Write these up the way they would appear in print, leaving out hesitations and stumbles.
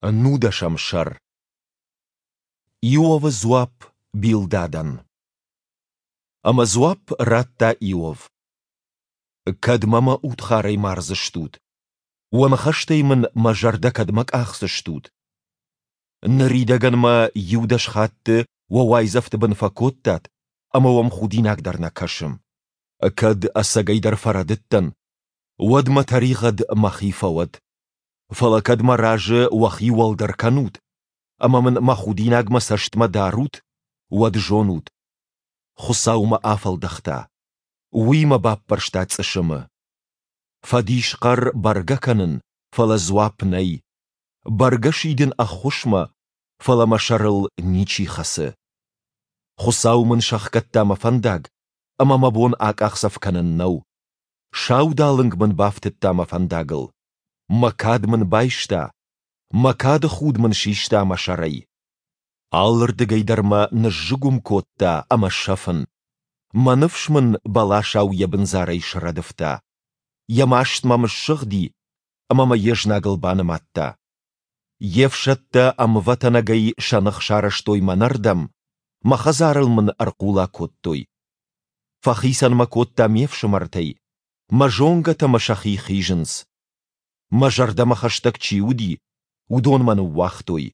Нудӕсӕм сӕр. Иовы дзуапп Билдадӕн. Ӕмӕ дзуапп радта Иов: Кӕдмӕ мӕ удхарӕй мардзыстут? Уӕ ныхӕстӕй мын мӕ зӕрдӕ кӕдмӕ къахдзыстут? Ныридӕгӕн мӕ иу-дӕс хатты уӕ уайдзӕфты бын фӕкодтат, ӕмӕ уӕм худинаг дӕр нӕ кӕсы. Кӕд ӕцӕгӕйдӕр фӕрӕдыдтӕн, уӕд мӕ тӕригъӕд мӕхи фӕуӕд. Фӕлӕ кӕд мӕ разы уӕхи уӕлдӕр кӕнут ӕмӕ мын мӕ худинаг мӕ цӕстмӕ дарут, уӕд зонут, Хуыцау мӕ афӕлдӕхта, Уый мӕ баппӕрста цъысымы. Фӕдисхъӕр бӕргӕ кӕнын, фӕлӕ дзуапп нӕй. Бӕргӕ сидын ӕххуысмӕ, фӕлӕ мӕ сӕрыл ничи хӕцы. Хуыцау мын сӕхгӕдта мӕ фӕндаг, ӕмӕ мӕ бон акъахдзӕф кӕнын нӕу. Саудалынг мын бафтыдта мӕ фӕндагыл. Мӕ кад мын байста, мӕ кады худ мын систа мӕ сӕрӕй. Алырдыгӕй дӕр мӕ ныззыгуым кодта ӕмӕ сӕфын. Мӕ ныфс мын бӕласау йӕ бындзарӕй срӕдывта. Йӕ маст мӕм ссыгъди ӕмӕ мӕ йе знагыл банымадта. Йе фсӕдтӕ ӕмвӕтӕнӕгӕй сӕ ных сарӕзтой мӕнӕрдӕм, мӕ хӕдзарыл мын ӕрхъула кодтой. Фӕхицӕн мӕ кодта ме фсымӕртӕй, мӕ зонгӕтӕ мӕ сӕхи хизынц. Мӕ зӕрдӕмӕ хӕстӕг чи уыди, уыдон мӕ ныууагътой.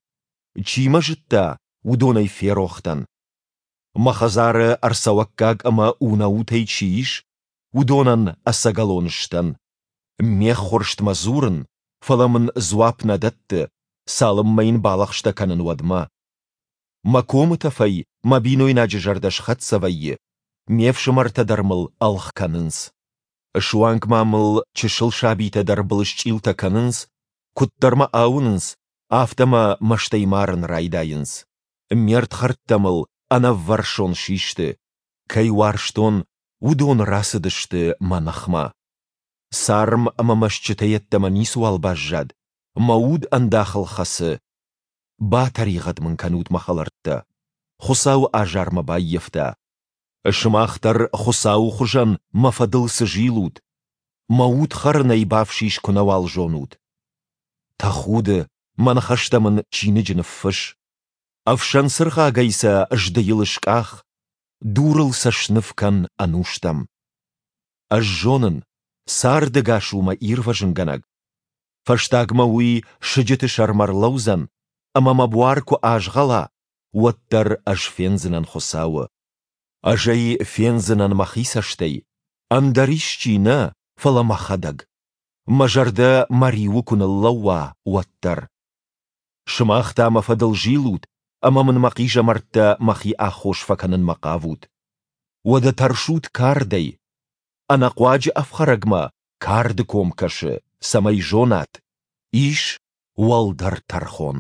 Чи мӕ зыдта, уыдонӕй ферох дӕн. Мӕ хӕдзары ӕрцӕуӕггаг ӕмӕ унӕутӕй чи ис, уыдонӕн ӕцӕгӕлон сдӕн. Ме ххуырстмӕ дзурын, фӕлӕ мын дзуапп нӕ дӕтты, цалынмӕ йын балӕгъстӕ кӕнын, уӕдмӕ. Мӕ комытӕфӕй мӕ бинойнаджы зӕрдӕ схӕццӕ вӕййы, ме фсымӕртӕ дӕр мыл ӕлгъ кӕнынц. Суанг ма мыл чысыл сабитӕ дӕр былысчъилтӕ кӕнынц, куыддӕр мӕ ауынынц, афтӕ мӕ мӕстӕй марын райдайынц. Ме рдхӕрдтӕ мыл ӕнӕввӕрсон систы, кӕй уарзтон, уыдон рацыдысты мӕ ныхмӕ. Царм ӕмӕ мӕ стджытӕ йеддӕмӕ ницыуал баззад, мӕ уд ӕндахыл хӕцы. Батӕригъӕд мын кӕнут, мӕ хӕлӕрттӕ, Хуыцауы азар мӕ баййӕфта. Сымах дӕр Хуыцауы хуызӕн мӕ фӕдыл цы зилут? Мӕ уд хӕрынӕй бафсис куы нӕуал зонут. Тӕхуды, мӕ ныхӕстӕ мын чиныджы ныффысс. Ӕфсӕн цыргъагӕй сӕ здыйыл скъах, дурыл сӕ сныв кӕн ӕнустӕм. Ӕз зонын, цардӕгас у мӕ ирвӕзынгӕнӕг. Фӕстагмӕ уый сыджыты сӕрмӕ рлӕудзӕн, ӕмӕ мӕ буар куы азгъӕла, уӕддӕр ӕз фендзынӕн Хуыцауы. Ӕз ӕй фендзынӕн мӕхи цӕстӕй, ӕндӕр исчи нӕ, фӕлӕ мӕхӕдӕг. Мӕ зӕрдӕ мӕ риуы куы ныллӕууа, уӕддӕр. Сымах та мӕ фӕдыл зилут ӕмӕ мын мӕ хъизӕмӕрттӕ мӕхи аххос фӕкӕнынмӕ хъавут. Уӕдӕ тӕрсут кардӕй. Ӕнӕхъуаджы ӕфхӕрӕгмӕ карды ком кӕсы, цӕмӕй зонат, ис уӕлдӕр тӕрхон.